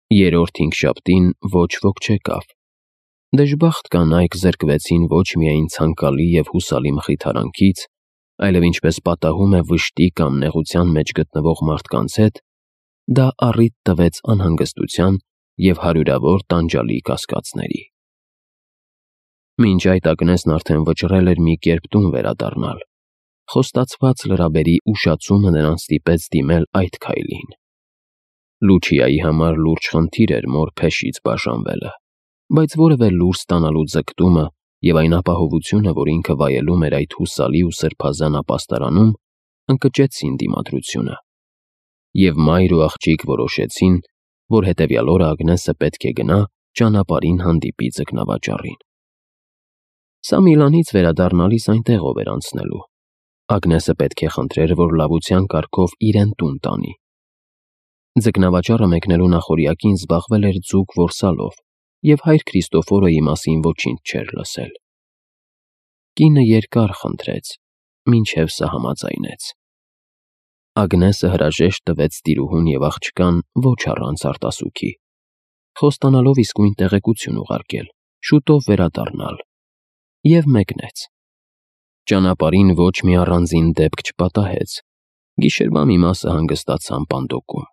Երրորդ հինգշաբթին ոչ ոք չեկավ։ Դժբախտ կանայք զրկվեցին ոչ միայն ցանկալի և հուսալի մխիթարանքից, այլև ինչպես պատահում է վշտի կամ նեղության մեջ գտնվող մարդկանց հետ, դա առիթ տվեց անհանգստության և հարյուրավոր տանջալի կասկածների։ Մինչ այդ Ագնեսն արդեն վճռել էր մի կերպ տուն վերադառնալ։ Խոստացված լրաբերի ուշացումը նրան ստիպեց դիմել այդ քայլին։ Լուչիայի համար լուրջ խնդիր էր մոր փեշից բաժանվելը, բայց որևէ լուր ստանալու ձգտումը և այն ապահովությունը, որ ինքը վայելում էր այդ հուսալի ու սրբազան ապաստարանում, ընկճեցին դիմադրությունը։ Եվ մայր ու աղջիկ որոշեցին, որ հետևյալ օրը Ագնեսը պետք է գնա ճանապարհին հանդիպի ձկնավաճառին։ Սա Միլանից վերադառնալիս այնտեղով էր անցնելու։ Ագնեսը պետք է խնդրեր, որ լավության կարգով իրեն տուն տանի։ Ձկնավաճառը մեկնելու նախօրյակին զբաղվել էր ձուկ որսալով և հայր Քրիստոֆորոյի մասին ոչինչ չէր լսել։ Կինը երկար խնդրեց, մինչև սահամաձայնեց։ Ագնեսը հրաժեշտ տվեց տիրուհուն և աղջկան ոչ առանց արտասուքի, խոստանալով իսկույն տեղեկություն ուղարկել, շուտով վերադառնալ, և մեկնեց։ Ճանապարհին ոչ մի առանձին դեպք չպատահեց, գիշերվա մի մասը հանգստացան պանդոկում։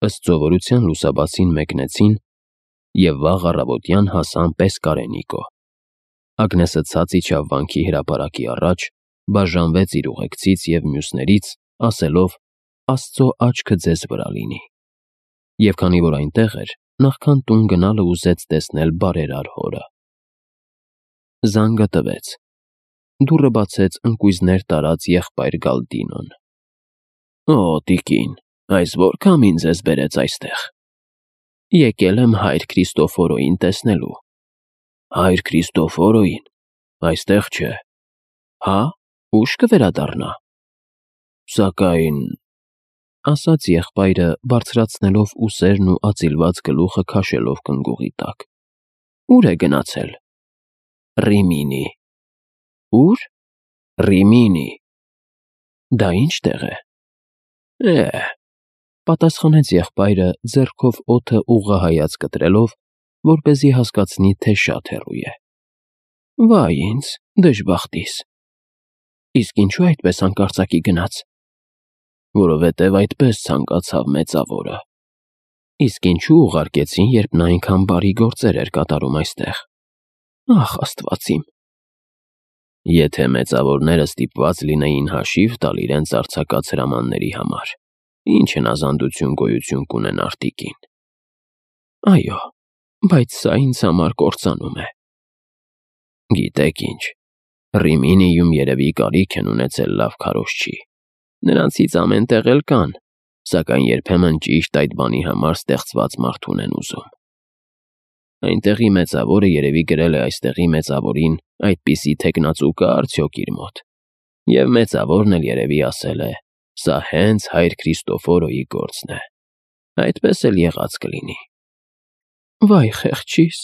Ըստ սովորության լուսաբացին մեկնեցին և վաղ առավոտյան հասան Պեսկարենիկո։ Ագնեսը ցած իջավ վանքի հրապարակի առաջ, բաժանվեց իր ուղեկցից և մյուսներից, ասելով. «Աստծո աչքը ձեզ վրա լինի»։ Եվ քանի որ այնտեղ էր, նախքան տուն գնալը ուզեց տեսնել բարերար հորը։ Զանգը տվեց։ Դուռը բացեց ընկույզներ տարած եղբայր Գալդինոն։ «Օ, տիկին, այս ո՞ր քամին ձեզ բերեց այստեղ»։ «Եկել եմ հայր Քրիստոֆորոյին տեսնելու»։ «Հայր Քրիստոֆորոյին, այստեղ չէ»։ «Հա՞, ուշ կվերադառնա»։ «Սակայն…» ասաց եղբայրը, բարձրացնելով ուսերն ու ածիլված գլուխը քաշելով կնգուղի տակ։ «Ո՞ւր է գնացել»։ «Ռիմինի»։ «Ո՞ւր»։ «Ռիմինի»։ «Դա ի՞նչ տեղ է»։ Պատասխանեց եղբայրը, ձեռքով օդը ուղղահայաց կտրելով, որպեսզի հասկացնի, թե շատ հեռու է։ «Վայ ինձ, դժբախտիս»։ «Իսկ ինչու այդպես հանկարծակի գնաց»։ «Որովհետև այդպես ցանկացավ մեծավորը»։ «Իսկ ինչու ուղարկեցին, երբ նա այնքան բարի գործեր էր կատարում այստեղ»։ «Ախ, Աստված իմ»։ «Եթե մեծավորները ստիպված լինեին հաշիվ տալ իրենց արձակած հրամանների համար, ինչ հնազանդություն գոյություն կունենար, տիկին»։ «Այո, բայց սա ինձ համար կործանում է»։ «Գիտեք ինչ, Ռիմինիում երևի կարիք են ունեցել լավ քարոզչի։ Նրանցից ամեն տեղ էլ կան, սակայն երբեմն ճիշտ այդ բանի համար ստեղծված մարդ ունեն ուզում։ Այնտեղի մեծավորը երևի գրել է այստեղի մեծավորին այդպիսի թեկնածու կա արդյոք իր մոտ, և մեծավորն էլ երևի ասել է. սա հենց հայր Քրիստոֆորոյի գործն է։ Այդպես էլ եղած կլինի»։ «Վայ խեղճիս,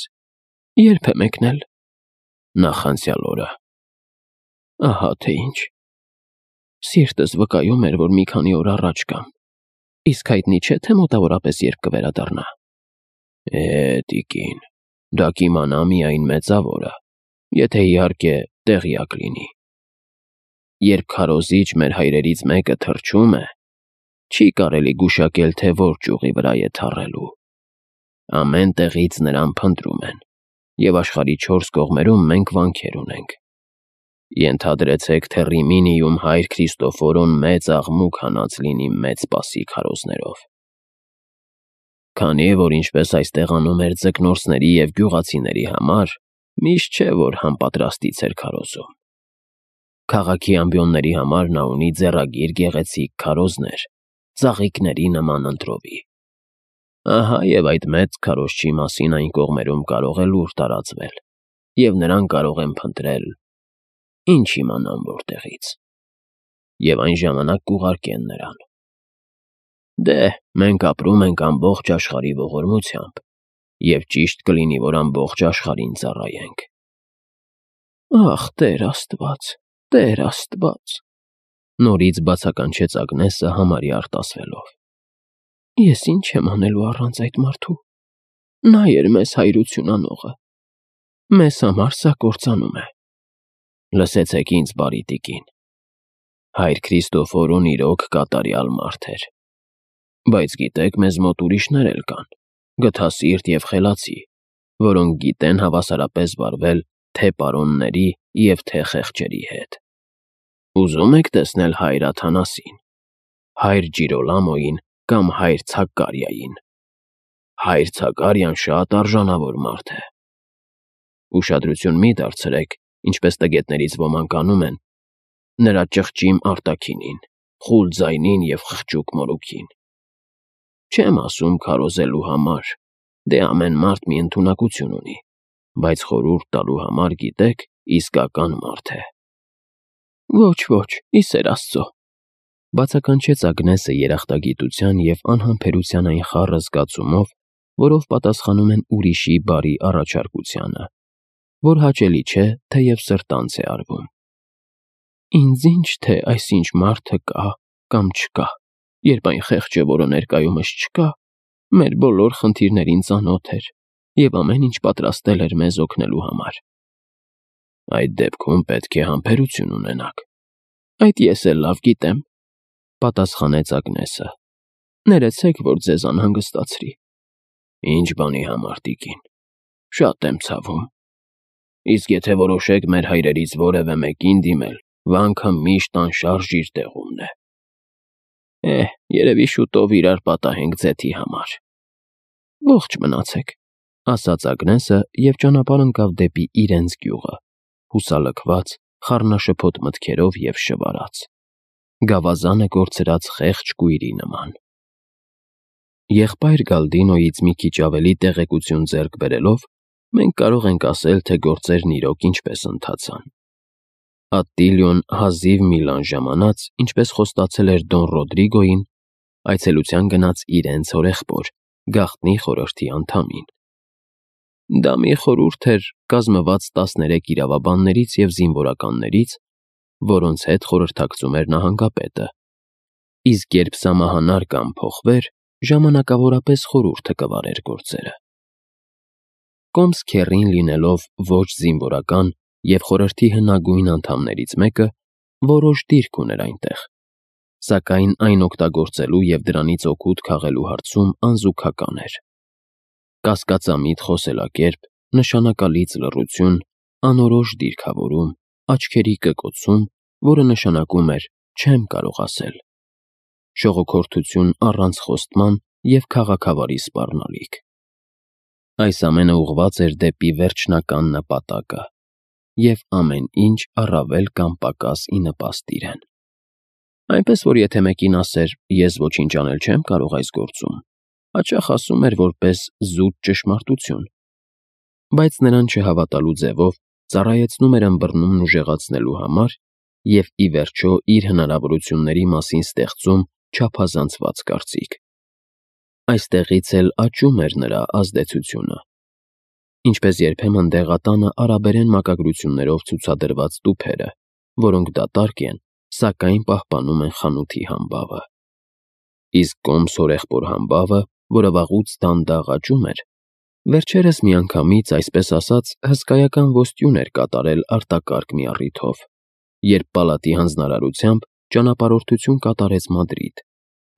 ե՞րբ է մեկնել»։ «Նախանցյալ օրը»։ «Ահա թե ինչ։ Սիրտս վկայում էր, որ մի քանի օր առաջ կամ։ Իսկ հայտնի չէ, թե մոտավորապես երբ կվերադառնա»։ Տիկին, դա կիմանա միայն մեծավորը, եթե իհարկե տեղյակ լինի։ Երբ քարոզիչ մեր հայրերից մեկը թրջում է, չի կարելի գուշակել, թե որ ճյուղի վրա է թռելու։ Ամեն տեղից նրան փնտրում են, և աշխարհի 4 կողմերում մենք վանքեր ունենք։ Ենթադրեցեք, թե Ռիմինիում հայր Քրիստոֆորոն մեծ աղմուկ հանած լինի մեծ սպասի քարոզներով։ Քանի որ ինչպես այստեղ անում էր ձկնորսների և գյուղացիների համար, միշտ չէ, որ համապատրաստից էր քարոզում։ Քաղաքի ամբիոնների համար նա ունի ձեռագիր գեղեցիկ քարոզներ, ծաղիկների նման ընտրովի։ Ահա և այդ մեծ քարոզչի մասին այն կողմերում կարող է լուր տարածվել, և նրան կարող են փնտրել, ինչ իմանան որտեղից, և այն ժամանակ կուղարկեն նրան։ Դե, մենք ապրում ենք ամբողջ աշխարհի ողորմությամբ, և ճիշտ կլինի, որ ամբողջ աշխարհին ծառայենք։ Ախ, Տեր Աստված, Տեր Աստված, նորից բացականչեց Ագնեսը համարյա արտասվելով։ Ես ինչ եմ անելու առանց այդ մարդու։ Նա էր մեզ հայրություն անողը։ Մեզ համար սա կործանում է։ Լսեցեք ինձ, բարի տիկին։ Հայր Քրիստոֆորոն իրոք կատարյալ մարդ էր։ Բայց գիտեք, մեզ մոտ ուրիշներ էլ կան, գթասիրտ և խելացի, որոնք գիտեն հավասարապես վարվել թե պարոնների և թե խեղճերի հետ։ Ուզում եք տեսնել հայր Աթանասին, հայր Ջիրոլամոյին կամ հայր Ցակկարիային։ Հայր Ցակարիան շատ արժանավոր մարդ է։ Ուշադրություն մի դարձրեք, ինչպես տգետներից ոմանք անում են, նրա ճղճիմ արտաքինին, խուլ ձայնին և խղճուկ մորուքին։ Չեմ ասում քարոզելու համար, դե ամեն մարդ մի ընդունակություն ունի, բայց խորհուրդ տալու համար, գիտեք, իսկական մարդ է։ Ոչ, ի սեր Աստծո, բացականչեց Ագնեսը երախտագիտության և անհամբերության այն խառը զգացումով, որով պատասխանում են ուրիշի բարի առաջարկությանը, որ հաճելի չէ, թեև սրտանց է արվում։ Ինձ ինչ թե այսինչ մարդը կա կամ չկա, երբ այն խեղճը, որը ներկայումս չկա, մեր բոլոր խնդիրներին ծանոթ էր և ամեն ինչ պատրաստել էր մեզ օգնելու համար։ Այդ դեպքում պետք է համբերություն ունենաք։ Այդ ես էլ լավ գիտեմ, պատասխանեց Ագնեսը։ Ներեցեք, որ ձեզ անհանգստացրի։ Ինչ բանի համար, տիկին, շատ եմ ցավում։ Իսկ եթե որոշեք մեր հայրերից որևէ մեկին դիմել, վանքը միշտ անշարժ իր տեղումն է։ Երևի շուտով իրար պատահենք ձեթի համար։ Ողջ մնացեք, ասաց Ագնեսը և ճանապարհ ընկավ դեպի իրենց գյուղը, հուսալքված, խառնաշփոթ մտքերով և շվարած, գավազանը կորցրած խեղճ կույրի նման։ Եղբայր Գալդինոյից մի քիչ ավելի տեղեկություն ձեռք բերելով, մենք կարող ենք ասել, թե գործերն իրոք ինչպես ընթացան։ Ատտիլիոն հազիվ մի լան ժամանած, ինչպես խոստացել էր Դոն Ռոդրիգոյին, այցելության գնաց իրենց հորեղբոր, գաղտնի խորհրդի անդամին։ Դա մի խորհուրդ էր, կազմված 13 իրավաբաններից և զինվորականներից, որոնց հետ խորհրդակցում էր նահանգապետը, իսկ երբ սա մահանար կամ փոխվեր, ժամանակավորապես խորհուրդը կվարեր գործերը։ Կոմս քեռին լինելով ոչ զինվորական և խորհրդի հնագույն անդամներից մեկը, որոշ դիրք ուներ այնտեղ, սակայն այն օգտագործելու և դրանից օգուտ քաղելու հարցում անզուգական էր։ Կասկածամիտ խոսելակերպ, նշանակալից լռություն, անորոշ դիրքավորում, աչքերի կկոցում, որը նշանակում էր չեմ կարող ասել, շողոքորթություն առանց խոստման և քաղաքավարի սպառնալիք։ Այս ամենը ուղղված էր դեպի վերջնական նպատակը, և ամեն ինչ առավել կամ պակաս ի նպաստ իրեն։ Այնպես որ եթե մեկին ասեր ես ոչինչ անել չեմ կարող այս գործում, հաճախ ասում էր որպես զուտ ճշմարտություն, բայց նրան չհավատալու ձևով ծառայեցնում էր ըմբռնումն ուժեղացնելու համար և ի վերջո իր հնարավորությունների մասին ստեղծում չափազանցված կարծիք։ Այստեղից էլ աճում էր նրա ազդեցությունը։ Ինչպես երբեմն դեղատանը արաբերեն մակագրություններով ցուցադրված տուփերը, որոնք դատարկ են, սակայն պահպանում են խանութի համբավը։ Իսկ կոմս հորեղբոր համբավը, որը վաղուց դանդաղ աճում էր, վերջերս միանգամից, այսպես ասած, հսկայական ոստյուն էր կատարել արտակարգ մի առիթով, երբ պալատի հանձնարարությամբ ճանապարհորդություն կատարեց Մադրիդ,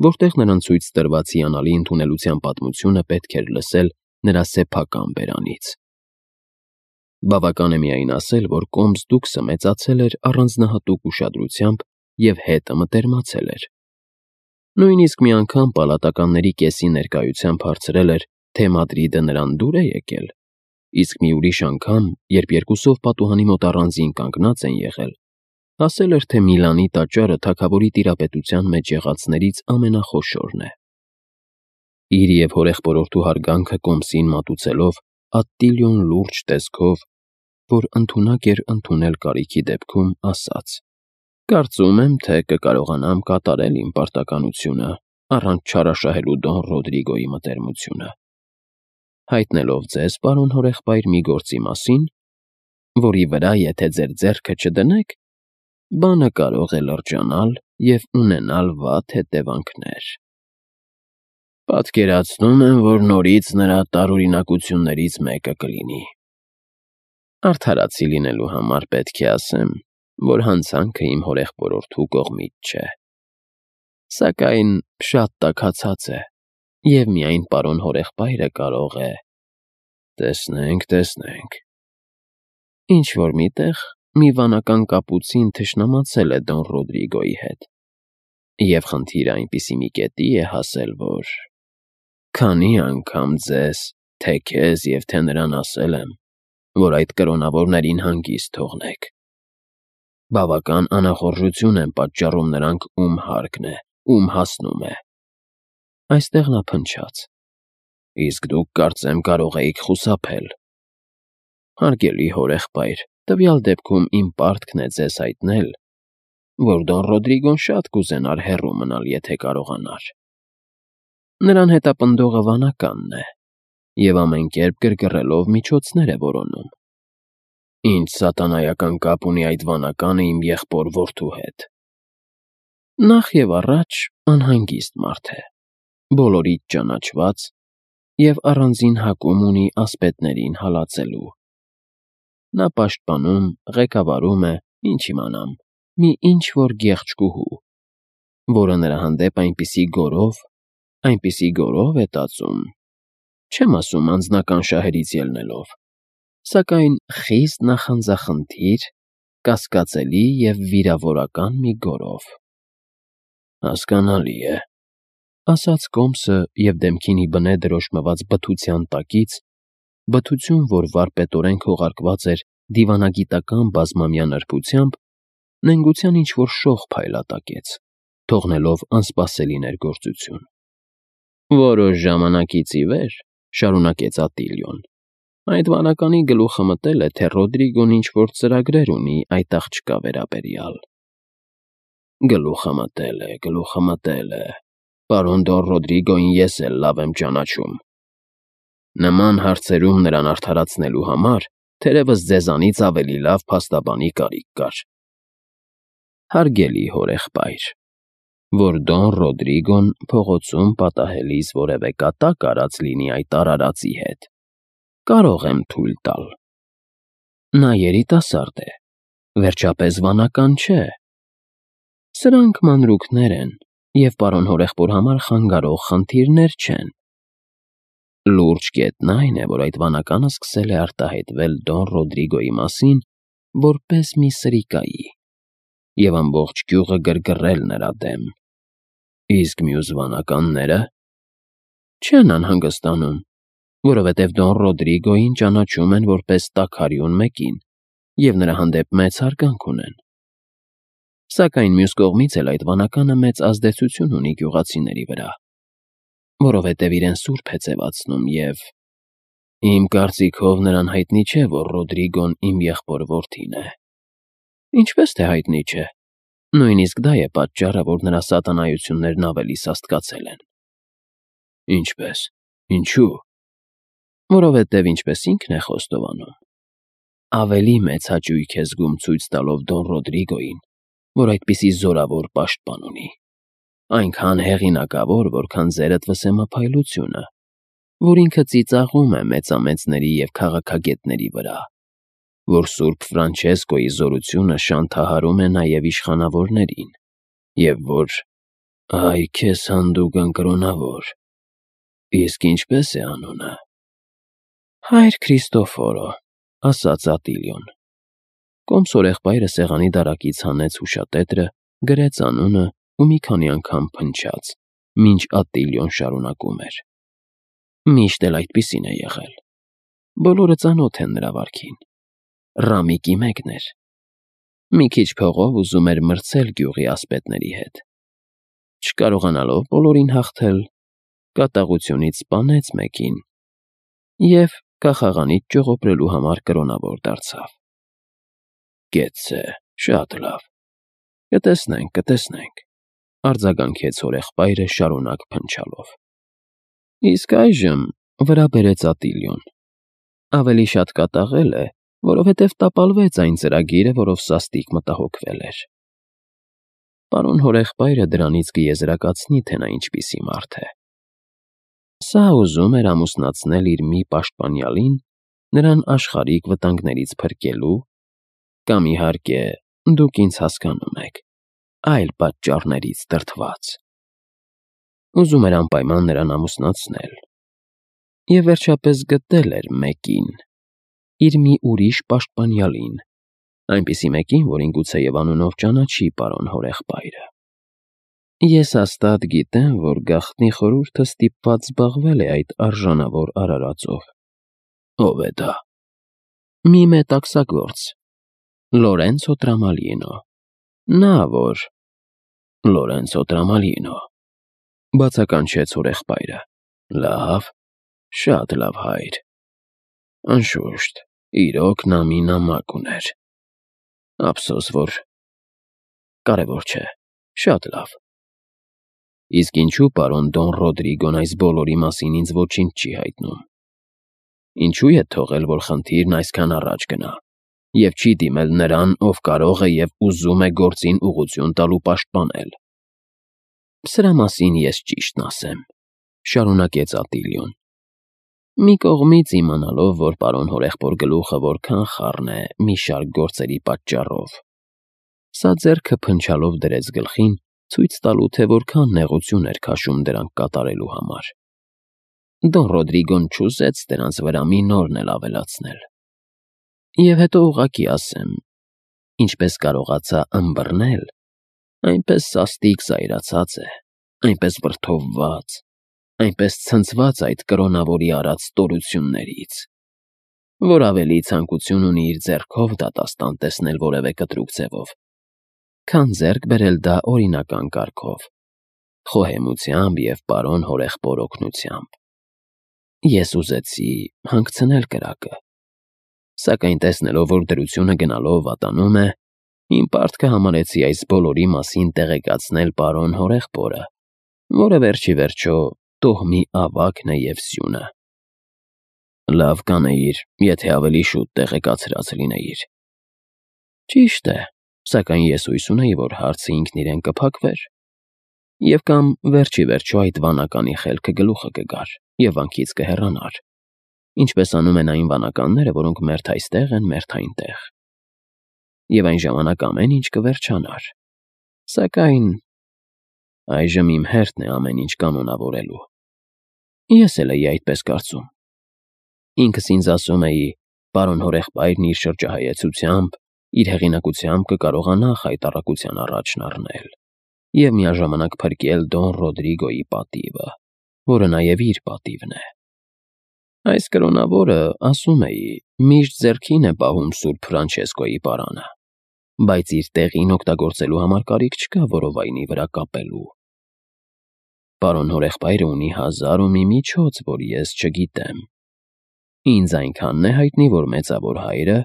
որտեղ նրան ցույց տրված հիանալի ընդունելության պատմությունը պետք էր լսել նրա սեփական բերանից։ Բավական է միայն ասել, որ կոմս դուքսը մեծացել էր առանձնահատուկ ուշադրությամբ և հետը մտերմացել էր։ Նույնիսկ մի անգամ պալատականների կեսի ներկայությամբ հարցրել էր, թե Մադրիդը նրան դուր է եկել, իսկ մի ուրիշ անգամ, երբ երկուսով պատուհանի մոտ առանձին կանգնած են եղել, ասել էր, թե Միլանի տաճարը թագավորի տիրապետության մեջ եղածներից ամենախոշորն է։ Իր և հորեղբորորդու հարգանքը կոմսին մատուցելով, Ատտիլիոն լուրջ տեսքով, որ ընդունակ էր ընդունել կարիքի դեպքում, ասաց. «Կարծում եմ, թե կկարողանամ կատարել իմ պարտականությունը, առանց չարաշահելու Դոն Ռոդրիգոյի մտերմությունը, հայտնելով ձեզ, պարոն հորեղբայր, մի գործի մասին, որի վրա եթե ձեր ձեռքը չդնեք, բանը կարող է լրջանալ և ունենալ վատ հետևանքներ»։ Պատկերացնում եմ, որ նորից նրա տարօրինակություններից մեկը կլինի։ Արդարացի լինելու համար պետք է ասեմ, որ հանցանքը իմ հորեղբորորդու կողմից չէ։ Սակայն շատ տաքացած է, և միայն պարոն հորեղբայրը կարող է… Տեսնենք… Ինչ-որ միտեղ մի վանական կապուցին թշնամացել է Դոն Ռոդրիգոյի հետ, և խնդիրը այնպիսի մի կետի է հասել, որ… Քանի անգամ ձեզ, թե քեզ և թե նրան ասել եմ, որ այդ կրոնավորներին հանգիստ թողնեք։ Բավական անախորժություն են պատճառում նրանք, ում հարկն է, ում հասնում է… Այստեղ նա փնչաց. Իսկ դուք, կարծեմ, կարող էիք խուսափել։ Հարգելի հորեղբայր, տվյալ դեպքում իմ պարտքն է ձեզ հայտնել, որ Դոն Ռոդրիգոն շատ կուզենար հեռու մնալ, եթե կարողանար։ Նրան հետապնդողը վանականն է, և ամեն կերպ գրգռելով միջոցներ է որոնում։ Ինչ սատանայական կապ ունի այդ վանականը իմ եղբոր որդու հետ։ Նախ և առաջ անհանգիստ մարդ է, բոլորից ճանաչված և առանձին հակում ունի ասպետներին հալածելու։ Նա պաշտպանում, ղեկավարում է, ինչ իմանամ, մի ինչ-որ գեղեցկուհու, որը նրա հանդեպ այնպիսի գոռով է տածում, չեմ ասում անձնական շահերից ելնելով, սակայն խիստ նախանձախնդիր, կասկածելի և վիրավորական մի գոռով։ Հասկանալի է, ասաց Կոմսը և դեմքին ի բնե դրոշմված բթության տակից, բթություն, որ վարպետորեն քողարկված էր դիվանագիտական բազմամյա նրբությամբ, նենգության ինչ-որ շող փայլատակեց, թողնելով անսպասելի ներգործություն։ Որոշ ժամանակից ի վեր, շարունակեց Ատիլիոն, այդ վանականի գլուխը մտել է, թե Ռոդրիգոն ինչ-որ ծրագրեր ունի այդ աղջկա վերաբերյալ։ Գլուխը մտել է, պարոն Դոն Ռոդրիգոյին ես էլ լավ եմ ճանաչում։ Նման հարցերում նրան արդարացնելու համար թերևս ձեզանից ավելի լավ փաստաբանի կարիք կար։ Հարգելի հորեղբայր, որ Դոն Ռոդրիգոն փողոցում պատահելիս որևէ կատակ արած լինի այդ արարածի հետ, կարող եմ թույլ տալ։ Նա երիտասարդ է, վերջապես վանական չէ։ Սրանք մանրուքներ են և պարոն հորեղբոր համար խանգարող խնդիրներ չեն։ Լուրջ կետն այն է, որ այդ վանականը սկսել է արտահայտվել Դոն Ռոդրիգոյի մասին որպես մի սրիկայի և ամբողջ գյուղը գրգռել նրա դեմ։ Իսկ մյուս վանականնե՞րը… Չեն անհանգստանում, որովհետև Դոն Ռոդրիգոյին ճանաչում են որպես տաքարյուն մեկին և նրա հանդեպ մեծ հարգանք ունեն։ Սակայն մյուս կողմից էլ այդ վանականը մեծ ազդեցություն ունի գյուղացիների վրա, որովհետև իրեն սուրբ է ձևացնում և… Իմ կարծիքով նրան հայտնի չէ, որ Ռոդրիգոն իմ եղբոր որդին է։ Ինչպես թե հայտնի չէ, նույնիսկ դա է պատճառը, որ նրա սատանայություններն ավելի սաստկացել են։ Ինչպե՞ս, ինչու՞։ Որովհետև ինչպես ինքն է խոստովանում, ավելի մեծ հաճույք է զգում ցույց տալով Դոն Ռոդրիգոյին, որ այդպիսի զորավոր պաշտպան ունի, այնքան հեղինակավոր, որքան ձերդ վսեմափայլությունը, որ ինքը ծիծաղում է մեծամեծների և քաղաքագետների վրա, որ սուրբ Ֆրանչեսկոյի զորությունը շանթահարում է նաև իշխանավորներին, և որ… Այ քեզ հանդուգն կրոնավոր… Իսկ ինչպե՞ս է անունը։ Հայր Քրիստոֆորո, ասաց Ատիլիոն։ Կոմս հորեղբայրը սեղանի դարակից հանեց հուշատետրը, գրեց անունը ու մի քանի անգամ փնչաց, մինչ Ատիլիոն շարունակում էր. Միշտ էլ այդպիսին է եղել։ Բոլորը ծանոթ են նրա վարքին։ Ռամիկի մեկն էր։ Մի քիչ փողով ուզում էր մրցել գյուղի ասպետների հետ։ Չկարողանալով բոլորին հաղթել, կատաղությունից սպանեց մեկին և կախաղանից ճողոպրելու համար կրոնավոր դարձավ։ Կեցցե, շատ լավ։ Կտեսնենք, արձագանքեց հորեղբայրը շարունակ փնչալով։ Իսկ այժմ, վրա բերեց Ատիլիոն, ավելի շատ կատաղել է, որովհետև տապալվեց այն ծրագիրը, որով սաստիկ մտահոգվել էր։ Պարոն հորեղբայրը դրանից կեզրակացնի, թե նա ինչպիսի մարդ է։ Սա ուզում էր ամուսնացնել իր մի պաշտպանյալին, նրան աշխարհիկ վտանգներից փրկելու, կամ իհարկե, դուք ինձ հասկանում եք, այլ պատճառներից դրդված։ Ուզում էր անպայման նրան ամուսնացնել։ Եվ վերջապես գտել էր մեկին, իր մի ուրիշ պաշտպանյալին, այնպիսի մեկին, որին գուցեև անունով ճանաչի պարոն հորեղբայրը։ Ես հաստատ գիտեմ, որ գաղտնի խորհուրդը ստիպված զբաղվել է այդ արժանավոր արարածով։ Ո՞վ է դա։ Մի մետաքսագործ, Լորենցո Տրամալինո։ Նա որ… Լորենցո Տրամալինո, բացականչեց հորեղբայրը։ Լավ, շատ լավ, հայր։ Անշուշտ, իրոք նա մի նամակ ուներ։ Ափսոս, որ… Կարևոր չէ, շատ լավ։ Իսկ ինչու պարոն Դոն Ռոդրիգոն այս բոլորի մասին ինձ ոչինչ չի հայտնում։ Ինչու է թողել, որ խնդիրն այսքան առաջ գնա, և չի դիմել նրան, ով կարող է և ուզում է գործին ուղղություն տալ ու պաշտպանել։ Սրա մասին ես ճիշտն ասեմ, շարունակեց Ատիլիոն, մի կողմից իմանալով, որ պարոն հորեղբոր գլուխը որքան խառն է մի շարք գործերի պատճառով։ Սա ձեռքը փնչալով դրեց գլխին, ցույց տալու, թե որքան նեղություն էր քաշում դրանք կատարելու համար։ Դոն Ռոդրիգոն չուզեց դրանց վրա մի նորն էլ ավելացնել։ Եվ հետո ուղղակի ասեմ, ինչպես կարողացա ըմբռնել, այնպես սաստիկ զայրացած է, այնպես վրդովված, այնպես ցնցված այդ կրոնավորի արած ստորություններից, որ ավելի ցանկություն ունի իր ձեռքով դատաստան տեսնել որևէ կտրուկ ձևով, քան ձեռք բերել դա օրինական կարգով, խոհեմությամբ և պարոն հորեղբոր օգնությամբ։ Ես ուզեցի հանգցնել կրակը, սակայն տեսնելով, որ դրությունը գնալով վատանում է, իմ պարտքը համարեցի այս բոլորի մասին տեղեկացնել պարոն հորեղբորը, որը վերջի վերջո տոհմի ավագն է և սյունը։ Լավ կանեիր, եթե ավելի շուտ տեղեկացրած լինեիր։ Ճիշտ է, սակայն ես հույս ունեի, որ հարցը ինքն իրեն կփակվեր, և կամ վերջի վերջո այդ վանականի խելքը գլուխը կգար և վանքից կհեռանար, ինչպես անում են այն վանականները, որոնք մերթ այստեղ են, մերթ այնտեղ։ Եվ այն ժամանակ ամեն ինչ կվերջանար։ Սակայն այժմ իմ հերթն է ամեն ինչ կանոնավորելու։ Ես էլ էի այդպես կարծում։ Ինքս ինձ ասում էի, պարոն հորեղբայրն իր շրջահայեցությամբ, իր հեղինակությամբ կկարողանա խայտառակության առաջն առնել և միաժամանակ փրկել Դոն Ռոդրիգոյի պատիվը, որը նաև իր պատիվն է։ Այս կրոնավորը, ասում էի, միշտ ձեռքին է պահում Սուրբ Ֆրանչեսկոյի պարանը, բայց իր տեղին օգտագործելու համար կարիք չկա որովայնի վրա կապելու։ Պարոն հորեղբայրը ունի 1000 ու մի միջոց, որ ես չգիտեմ։ Ինձ այնքանն է հայտնի, որ մեծավոր հայրը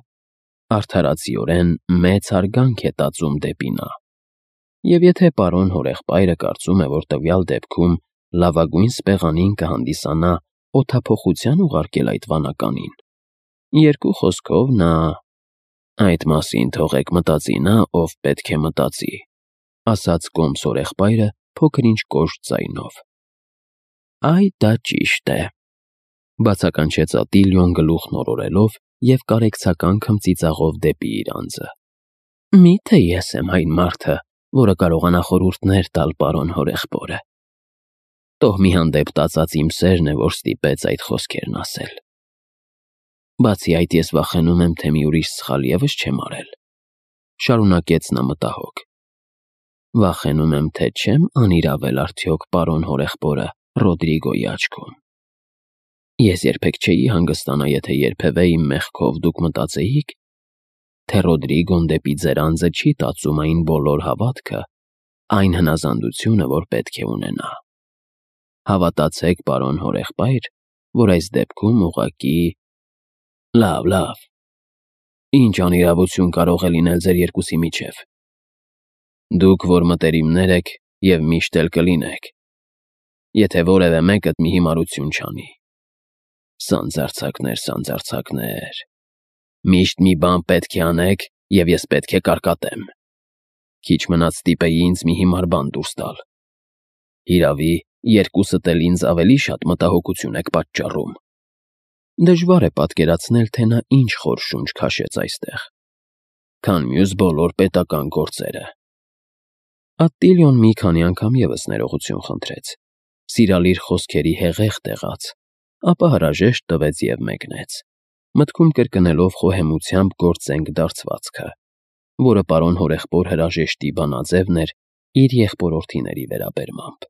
արդարացիորեն մեծ հարգանք է տածում դեպի նա։ Եվ եթե պարոն հորեղբայրը կարծում է, որ տվյալ դեպքում լավագույն սպեղանին կհանդիսանա օդափոխության ուղարկել այդ վանականին, երկու խոսքով նա… Այդ մասին թողեք մտածի նա, ով պետք է մտածի, ասաց կոմս հորեղբայրը փոքր-ինչ կոշտ ձայնով։ Այ դա ճիշտ է, բացականչեց Ատիլիոն գլուխն օրորելով և կարեկցական քմծիծաղով դեպի իր անձը։ Միթե ես եմ այն մարդը, որը կարողանա խորհուրդներ տալ պարոն հորեղբորը։ Տոհմի հանդեպ տածած իմ սերն է, որ ստիպեց այդ խոսքերն ասել։ Բացի այդ, ես վախենում եմ, թե մի ուրիշ սխալ ևս չեմ արել, շարունակեց նա մտահոգ։ Վախենում եմ, թե չեմ անիրավել արդյոք պարոն հորեղբորը Ռոդրիգոյի աչքում։ Ես երբեք չէի հանգստանա, եթե երբևէ իմ մեղքով դուք մտածեիք, թե Ռոդրիգոն դեպի ձեր անձը չի տածում այն բոլոր հավատքը, այն հնազանդությունը, որ պետք է ունենա։ Հավատացեք, պարոն հորեղբայր, որ այս դեպքում ուղղակի… Լավ, ինչ անիրավություն կարող է լինել ձեր երկուսի միջև։ Դուք որ մտերիմներ եք և միշտ էլ կլինեք, եթե որևէ մեկդ մի հիմարություն չանի։ Սանձարձակներ, միշտ մի բան պետք է անեք, և ես պետք է կարկատեմ։ Քիչ մնաց ստիպեի ինձ մի հիմար բան դուրս տալ։ Հիրավի, Երկուսդ էլ ինձ ավելի շատ մտահոգություն եք պատճառում։ Դժվար է պատկերացնել, թե նա ինչ խոր շունչ քաշեց այստեղ, քան մյուս բոլոր պետական գործերը։ Ատտիլիոն մի քանի անգամ ևս ներողություն խնդրեց, սիրալիր խոսքերի հեղեղ տեղաց, ապա հրաժեշտ տվեց և մեկնեց, մտքում կրկնելով խոհեմությամբ գործենք դարձվածքը, որը պարոն հորեղբոր հրաժեշտի բանաձևն էր իր եղբորորդիների վերաբերմամբ։